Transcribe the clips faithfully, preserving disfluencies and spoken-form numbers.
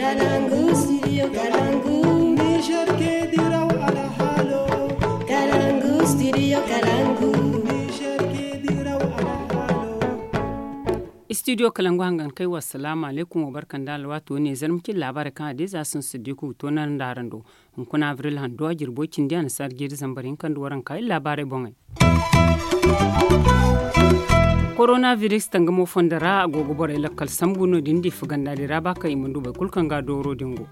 Kalangu, studio Kalangu. Niger ke diraw alhalo. Kalangu, studio Kalangu. Niger ke diraw alhalo. Studio Kalangu hangan kai, wassalamu alaikum wa barkan da alwato ne zarmacin labarai kan adai za sun siddiku to nan da haran do. Hunkuna avril hando a jirbo cindi a na sarjiri zambar hinka nda waranka iri labarai boŋey. Koronaviris tangamo fondo ra a go ga borey lakkal sambu no din da i faganda din ra ba kaŋ i mana du boro kulu kaŋ ga dooro din go.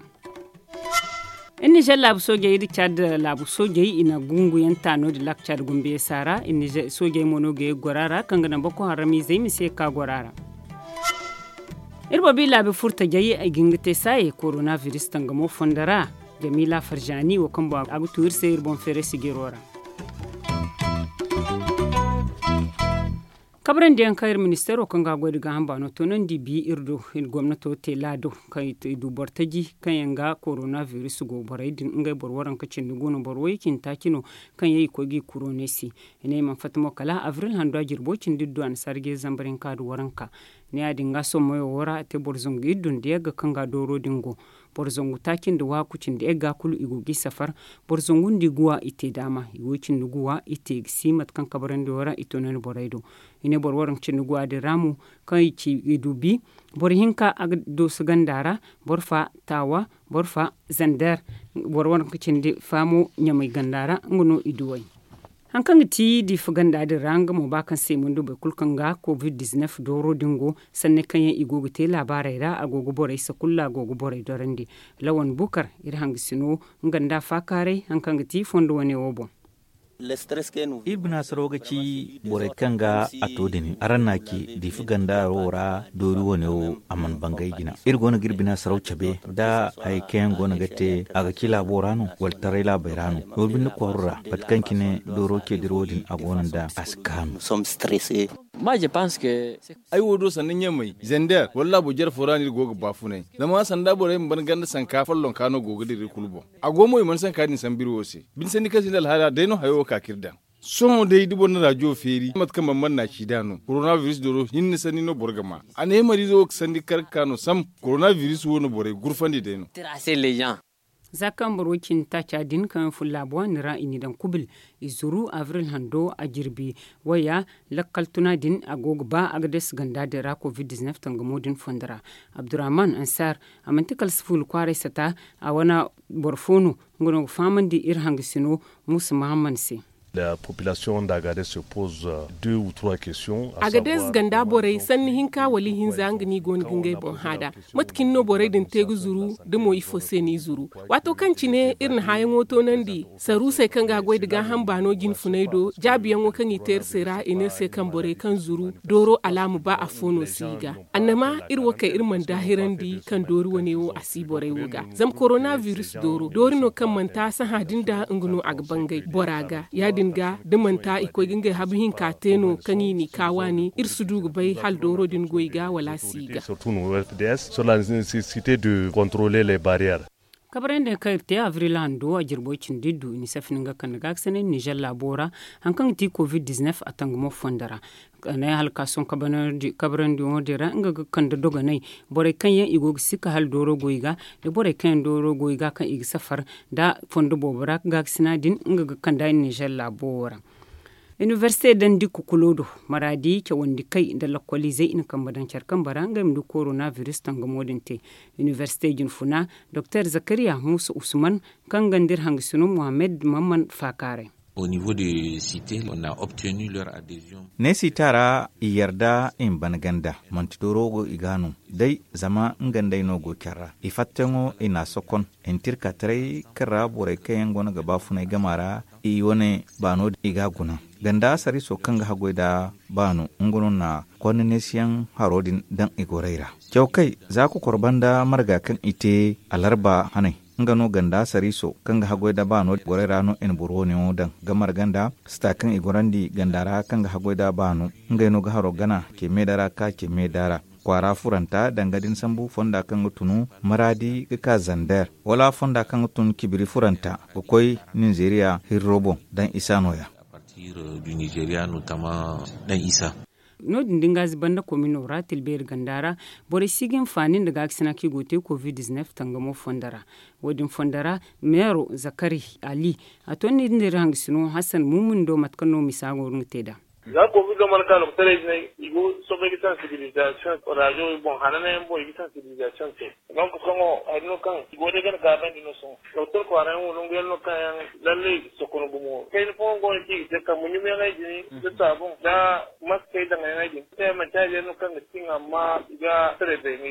Iri nizer laabu soojey iri caad laabu soojey i na gunguyaŋ ta no din laaka caad gombe ya saara. Iri nizer soojey mo no ga ye ga goro a ra kaŋ ga naŋ boko haramizey ma si ye ga ka goro a ra. Iri boobo i laabi furtajey i ga hin ga te saaye koronaviris tangamo fondo ra. Jamiila farjaani wo kaŋ boŋ a ga tu iri se iri boŋ feeray sijiro ra. Kabrandi yaŋ kaŋ iri ministeero kaŋ ga a goy da gaaham baano toonandi bi iri do iri gomnato te laado kaŋ i du boro taji kaŋ yaŋ ga koronaviris go borey din ngey boro waranka cindi go no boro way cindi taaci no. Kaŋ yaŋ i koy ga i kuro no ay se i ne i mana fatta mo kala avril hando a jirbo cindi du a na sarje zambar hinka da waranka. Ne ya- din ga sommayo wo ra a te boro zangu iri du nda yagga kaŋ ga dooro din go. Boro zangu taaci nda waaku cindi yagga kulu i go ga i safar. Boro zangu nda i guwa i te daama i go cindi guwa i te ga si mate kaŋ kabrandi wo ra i to no ni borey do. I ne boro waranka cindi guwa din ra mo kaŋ i ci i du bi. Boro hinka a ga dooso ganda ra. Boro fa taawa. Boro fa zander. Boro waranka cindi fa mo ɲamay ganda ra nga no i duw'ey. Hari kaŋ ga ti diifa ganda din ra nga mo ba kaŋ se i mana du boro kulu kaŋ ga covid dizinef dooro din go. Sanni kaŋ yaŋ i go ga te laabaarey ra a go ga borey sakulla a go ga borey dorandi. Lawan bukar iri hangasino nga nda faakaaray hari kaŋ ga ti fondo wane wo boŋ. Iri bina saraw ga ci borey kaŋ ga a to din araŋ na a ci diifa ganda wo ra doori wane wo a mana bangay jina. Iri go no ga iri bina saraw cabe da hayey kaŋ yaŋ go no ga te a ga ci laabo ra no wala taray laabey ra no. Doori binde kwaaru ra mate kaŋ cine dooro ce dira wo- din a go no nda a si kaanu. Ay wo do sanda ɲamay zander wala laabo jare fo ra no iri go ga baafunay. Zama sanda borey ma ban ganda sanka follonka no go ga dira iri kulu boŋ. A go mo i mana sanka din sambu iri wo se. Bine sanni kaŋ sinda alhaala day no hayo wo ka ka iri daŋ. Sohõ day da boro na rajo feeri mate kaŋ mana manna ci nd'a no koronabiris dooro hinne sanni no boro ga ma. A ne himariizo wo ga sandi kar ga ka no sam. Koronabiris wo no borey gurfandi day no. Za kaŋ boro wo cindi taaca din kaŋ yaŋ fun laabo wane ra i n'i daŋ kubil. I zuru abril hando a jirbi waya. Lakkal tuna din a go ga ba a ga deesi ganda din ra covid dizinef tangamo din fondo ra. Abdurrahman ansar a manti kala si fuula kwaaray sata. A wane boro fo no nga no ga fahamandi iri hangasino. Muusa mahamman se. A ga dees ganda borey sanni hinka wala ihinza nga no i go no ga ngey boŋ hã nd'a. Mate cine no borey din te ga zuru da mo ifo se no i zuru? Waato kaŋ cine iri na hããyaŋo toonandi saruusey kaŋ ga a goy nda gaaham baano jinfunay do jaabiyaŋo kaŋ i te iri se ra i ne iri se kaŋ borey kaŋ zuru dooro alaama ba afo no si i ga. Annama iri wo kay iri mana daahirandi kaŋ doori wane wo a si borey wo ga. Zama koronabiris dooro doori no kaŋ manti a sahã din da nga no a ga bangay bora ga ya- din ga da manti i koy ga ngey habu hinka te no kaŋ i n'i ka waani iri si du ga bay hala dooro din go i ga wala a si i ga. Kabrandi kaŋ iri te abril hando a jirbo cindi du i na safin nga kande gaakasinay nizer laabo ra. Hari kaŋ ga ti covid dizinef a tangamo fondo ra. Kande halkaason kabrandi wo din ra nga ga kande dogonay. Borey kaŋ yaŋ i go ga sikka hala dooro go i ga da borey kaŋ yaŋ dooro go i ga kaŋ i ga safar da fondo boobo ra gaakasina din nga ga kande a nizer laabo wo ra. Inibersite dandi kukulo do maraadi cawandi kay nda lakkoliizey i na kambe daŋ care kambe ra ngey ma du koronabiris tangamo din te. Inibersite jinfuna doktor zakariya muusa usman kaŋ ga nda iri hangasino muhammed mamman faakaaray. Ne sita ra i yarda i ma ban ganda manti dooro go i ga no day zama nga nd'ey no go care ra i fatteyaŋo i n'a sokon. I na tirka taray kaŋ ra borey kaŋ yaŋ go no ga baafunay gama ra i wane baano i ga a guna. Ganda sariiso kaŋ ga haggoy nda baano nga no na konda neesiyaŋ haro din daŋ i gorey ra. Cawkay za kokor banda marga kaŋ i te alarba hanay nga no ganda sariiso kaŋ ga haggoy nda baano gorey ra no i na boro wane yaŋo daŋ ga marga nda sita kaŋ i gorandi ganda ra kaŋ ga haggoy nda baano. Ngey no ga haro gana ce meeda ra ka ce meeda ra kwaara furanta danga din sambu fonda kaŋ ga tunu maraadi ga ka zander wala fonda kaŋ ga tun cibiri furanta ga koy ninzeeriya hirro boŋ daŋ isa nooya. No- din da nga ziba nda komino ra tilbeeri ganda ra, borey si ga hinfaani nda gaakasina kaŋ i go ga te covid dizinef tangamo fondo ra. Wo- din fondo ra, meero zakari ali, a to ni nda iri hangasino hasan mumin do mate kaŋ no misa go ga te nd'a. Za covid do mana ka lokotaray jinay, i go soobay ga sansibilizasiyoŋ raajo boŋ hananayaŋ boŋ i ga sansibilizasiyoŋ te. Donk sohõ hari no kaŋ i go day gana gaabandi no sohõ. Doktor kwaarayaŋ wo nangu yaŋ no kaŋ yaŋ lallay sokon gumo kayna fooyaŋ go no kaŋ i ga te kambe ɲumyaŋey din da saabuŋ da maskey daŋyaŋey din te manti hari yaŋ no kaŋ ga tin amma i ga taray bay ne.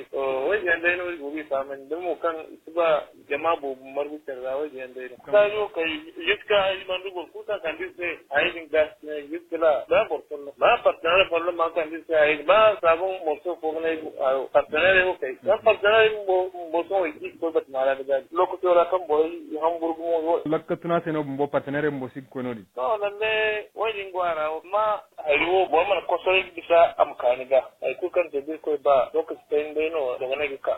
Waydiyaŋ day no i go ga i fahamandi da mo kaŋ i si ba jama boobo margu care ra waydiyaŋ day no. Saajo kay jiska ay banda boro kulu kaŋ kande iri se hayey din ga jiska la ba boro folloŋ ba partenaire folloŋ ma kande iri se hayey din ba saabuŋ morso fo ga ne partenaire wo kay zama partenaire bumbo sohõ i ga koy batama ra ga gaabi lokaco ra kaŋ borey i hamburu gumo. Lakka tuna se no bumbo partenaire bumbo si ga koy no- din. To lalle wo- din go a ra amma hari wo boro mana kosoray ga bisa a ma kaani ga hari kulu kaŋ te da iri koy ba lokaci kayna day no dogonay ga ka.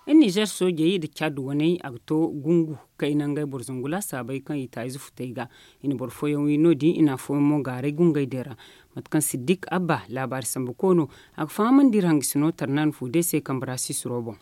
Iri nizer soojey nda caad waney a ga to gungu kayna ngey boro zangu laasaabey kaŋ i taayize futey ga. I na boro fooyaŋ wi no- din i na afooyaŋ mo gaaray gungey din ra. Mate kaŋ siddik abba laabaari sambu koono a ga fahamandi iri hangasino tarnan fu day se kambe ra sisiro boŋ.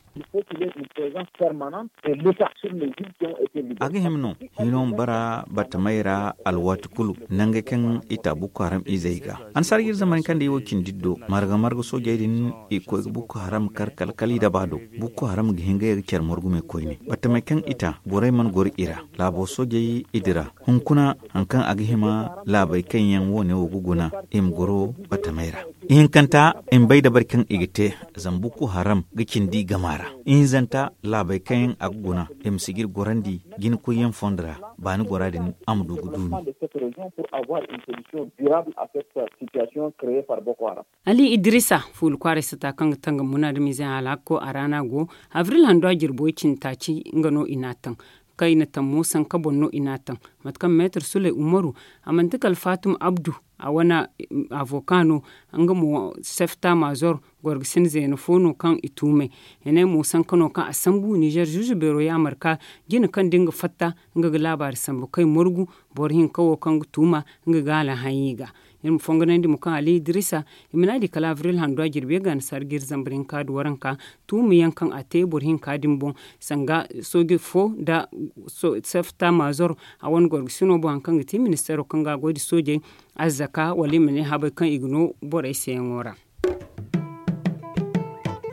A ga hima no hino ma bara battamey ra alwaati kulu nangey kaŋ i ta bukko haram izey ga. Annasaara ga iri zamani kaŋ day wo cindi iddo marga marga soojey din i ga koy ga bukko haram kar kala kala i daba do. Bukko haram ga hin ga ye ga care margu me koyne battamey kaŋ i ta borey mana goro i ra. Laabo soojey i dira hunkuna hari kaŋ a ga hima laabey kaŋ yaŋ wo- ne wo ga guna i ma goro battamey ra. Ihinkanta i ma bay dabari kaŋ i ga te zama bukko haram ga cindi gama ra. Ihinzanta laabey kaŋ yaŋ a ga guna i ma si ga iri gorandi jina koyyaŋ fondo ra. Baani gora din a ma du ga duumi. Ali idrisa fuula kwaaray sata kaŋ ga tangam munaadamiize hala hakko a ra no a go. Abril handu a jirbo i cindi taaci nga no i n'a taŋ kaŋ i na taŋ mo sanka boŋ no i n'a taŋ. Mate kaŋ meetar suley umaru a manti kala faatuma abdu a wane avoka no. Nga mo sefta mazor gorgasin zeena fo no kaŋ i tuumay. Hinay mo sanka no kaŋ a sambu nizer zuuzu beero yaamar ka jina kaŋ da nga fatta nga ga laabaari sambu kay margu boro hinka wo kaŋ ga tuuma nga ga alhaɲi ga. Iri ma fonganandi mo kaŋ ali idrisa i ma ne a di kala abril handu a jirbi ga annasaara ga iri zambar hinka da waranka tuuma yaŋ kaŋ a te boro hinka din boŋ sanga sooje fo nda sefta mazor a wane gorgasino boŋ hari kaŋ ga ti ministeero kaŋ ga a goy nda soojey azzaka wala i ma ne habay kaŋ i ga no borey se yaŋo ra.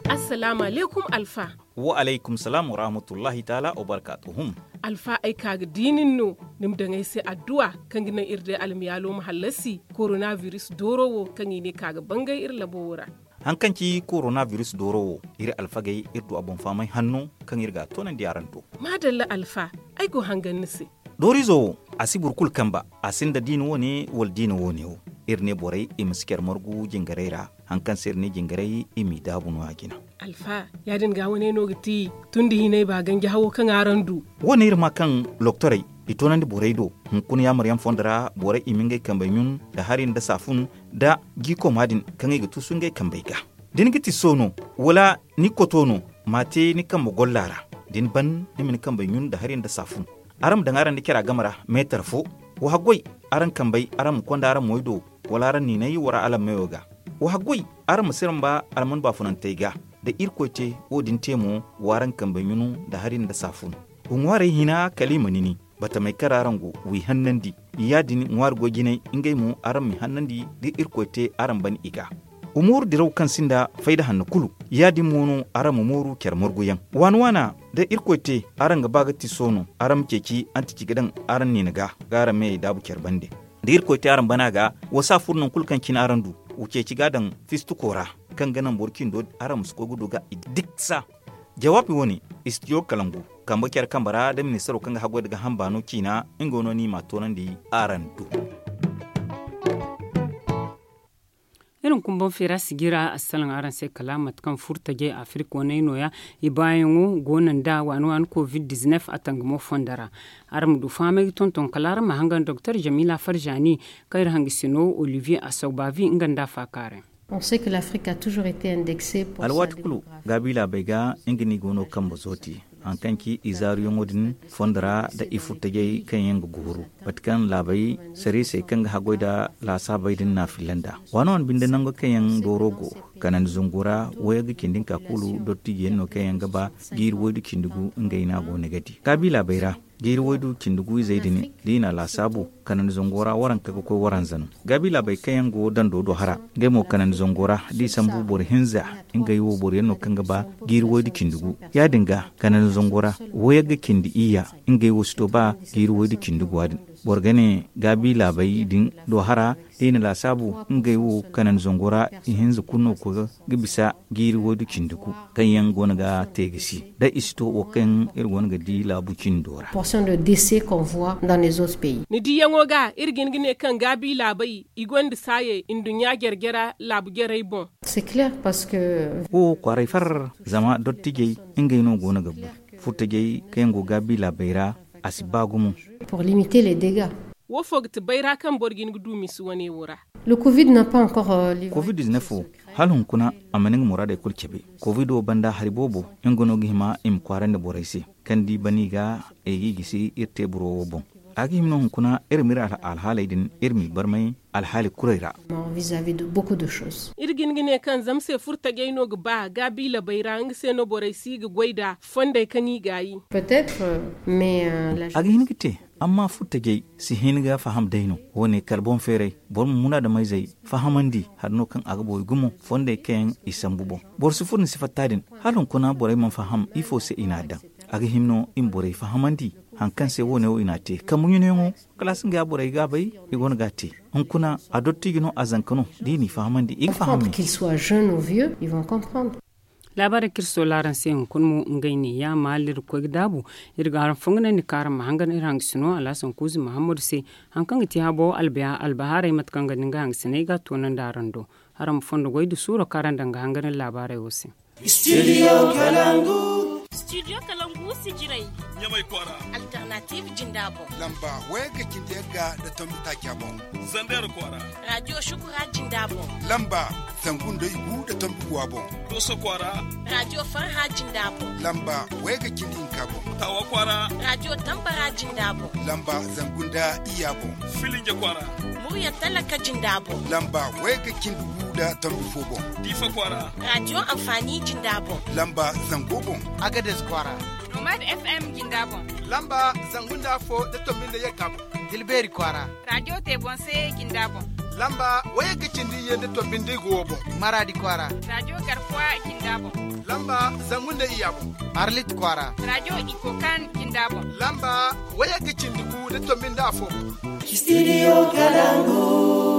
Assalaamu alaykum alfa. Wa alaykum salaam wa rahmatullahi taala wa barkaatuhum. Alfa ay ka ga di nin no ni ma daŋ ay se adduwa kaŋ ga naŋ iri day almiyaalo ma hallasi korona biris dooro wo kaŋ i ne ka ga bangay iri labo wo ra. Hari kaŋ ci korona biris dooro wo iri alfagey iri du a boŋ fahamay hanno kaŋ iri ga a toonandi araŋ do. Maadalla alfa, ay go hangan ni se. Dooriizo wo a si boro kulu kamba a sinda diina wo- ne wala diina wo- ne wo. Iri ne borey i ma si care margu jingarey ra. Hari kaŋ se iri ne jingarey i m'i daabu no- ya jina. Alfa, ya- din ga wane no ga ti tun da hinay ba ganji hawo kaŋ araŋ du. Wo- ne iri ma kaŋ loktorey i toonandi borey do hunkuna yaamaryaŋ fondo ra borey i ma ngey kambey ɲun nda hari nda saafun nda jiikooma din kaŋ i ga tuusu ngey kambey ga. Da ni ga ti so no wala ni koto no, ma a te ni kambe golla ra. Da ni ban ni ma ni kambey ɲun nda hari nda saafun. Araŋ ma daŋ araŋ nda cara game ra meetar fo. Wa haggoy araŋ kambey araŋ ma konda araŋ moy do wala araŋ niinay wara alammeyo ga. Wa haggoy araŋ ma siramba alman baafunantey ga. Da irkoy te wo- din te mo wa araŋ kambey ɲunu nda hari nda saafun. Wa ŋwaarey hina kala i ma nini batamey kaŋ ra araŋ go w'i hannandi. Ya- din ŋwaari goy jinay ngey mo araŋ m'i hannandi da irkoy te araŋ ban i ga. Wa mooru diraw kaŋ sinda fayda hanno kulu. Ya- din mo no araŋ ma mooru care marguyaŋ waana waana. Da irkoy te araŋ ga ba ga tiso no araŋ ma ceeci antici ga daŋ araŋ niina ga ga araŋ meyey daabu care bande. Da irkoy te araŋ bana ga wa saafur nangu kulu kaŋ cine araŋ du. Wa ceeci ga a daŋ fistuko ra kaŋ ga naŋ boro cindo araŋ ma si koy ga du ga i diksa. Jawaabi wo- ne istidiyo kalangu kambe care kambe ra da ministaro kaŋ ga haggoy nda ga hamba no ciina. Nga no ni m'a toonandi araŋ do. Iri ma kumbaŋ feera sijira assalaŋ araŋ se kala mate kaŋ furo tajey afirika waney nooya. I baayaŋo go no nda waani waani covid dizinef a tangamo fondo ra. Araŋ ma du fahamay ga tonton kala araŋ ma hangan doktor jamila farjani kaŋ iri hangasino olivier asawbavi nga nda a faakaaray. Alwaati kulu gaabi laabey ga nga no i go no kambe zooti. Hari kaŋ ci i zaaruyaŋo din fondo ra nda i furtajey kaŋ yaŋ ga gooru, mate kaŋ laabey sariisey kaŋ ga haggoy nda laasaabey din n'a filla nd'a. Waano wane binde nango kaŋ yaŋ dooro go, kanandi zango ra wayagga cindi hinka kulu dottijiyaŋ no kaŋ yaŋ ga ba jiiri waydu cindi gu ngey no a go no ga di gaabi laabey ra. Jiiri waydu cindi gu izey din da i na a laasaabu, kanandi zango ra waranka ga koy waranza no. Gaabi laabey kaŋ yaŋ go dando do hara, ngey mo kanandi zango ra da i sambu boro hinza, ngey wo boro yaŋ no kaŋ ga ba jiiri waydu cindi gu. Ya-din ga kanandi zango ra wayagga cindi iyya, ngey wo si to ba jiiri waydu cindi gu a din. Boro ga ne gaabi laabey din do hara da i na laasaabu, ngey wo kanandi zango ra ihinza kulu no ga koy ga bisa jiiri waydu cindi gu kaŋ yaŋ go no ga te ga si da i si to wo kaŋ iri go no ga di laabu cindo ra. Portion de décès qu'on voit dans les autres pays. Ni diyaŋo ga iri ga hin ga ne kaŋ gaabi laabey i gonda saayey nduɲɲa jare-jara laabu jarey boŋ. C'est clair parce que wo kwaaray far zama dottijey ngey no go no ga bu. Furtajey kaŋ yaŋ go gaabi laabey ra a si ba gumo. Pour limiter les dégâts. Wo fo ga ti bayra kaŋ boro ga hin ga du misi wane wo ra. Le covid n'a pas encore livre covid dix-neuf wo hala hunkuna a mana nga muraadey kulu cabe. Covid wo banda hari boobo nga no ga hima i ma kwaarandi borey se kaŋ di bani ga ay ga i gisi iri teeburo wo boŋ. A ga hima no hunkuna iri ma iri alhaaley din iri m'i barmay alhaali kurey ra. Iri ga hin ga ne kaŋ zama se furtajey no ga ba gaabiila bayra nga se no borey si ga goy nd'a fondey kaŋ i gaayi. A ga hin ga te. Amma furtajey si hin ga faham day no wo- ne kala boŋ feeray boro ma munaadameyzey fahamandi hari no kaŋ a ga boori gumo fondey kaŋ yaŋ i sambu boŋ. Boro si furo ni si fatta din hala hunkuna borey mana faham ifo se i n'a daŋ. A ga hima no i ma borey fahamandi hari kaŋ se wo- ne wo i n'a te kambu ɲunayaŋo kala a si nga ya borey gaabay i go no ga a te. Hunkuna a dottijo no a zanka no da i n'i fahamandi i ga faham. Laabaarey kaŋ iri soola araŋ se hunkuna mo ngey ne ya maali iri ga koy ga daabu. Iri ga araŋ fonganandi kaŋ araŋ ma hangan iri hangasino alhasan kuuzi mahammadu se hari kaŋ ga ti habo albahaarey mate kaŋ ga ni nga hangasiney ga a toonandi araŋ do. Araŋ ma fondo goy nda suuro kaŋ araŋ daŋ ga hangan iri laabaarey wo se. Studio kalangu. Studio kalangu sijirey ɲamay kwaara. Alternative jinda boŋ. Lamba wayagga cindi yagga nda tombi taaca boŋ. Zander kwaara. Radio shukura jinda boŋ. Lamba zangu nda igu nda tombi guwa boŋ. Doso kwaara. Radio farha jinda boŋ. Lamba wayagga cindi hinka boŋ. Tawa kwaara. Radio tambara jinda boŋ. Lamba zangu nda iyya boŋ. Filinje kwaara. Murya talaka jinda boŋ. Lamba wayagga cindi gu nda tombi fo boŋ. Diifa kwaara. Radio amfani jinda boŋ. Lamba zango boŋ. Agades kwaara. Nomad FM jinda boŋ. Lamba zangu nda afo nda tombi nda yagga boŋ. Dilbeeri kwaara. Radio te boŋ se jinda boŋ. Lamba wayagga cindi iyye nda tombi nda igu wo boŋ. Maraadi kwaara. Radio garkuwa jinda boŋ. Lamba zangu nda iyya boŋ. Arlit kwaara. Radio ikokan jinda boŋ. Lamba wayagga cindi gu nda tombi nda afo boŋ. Studio kalangu.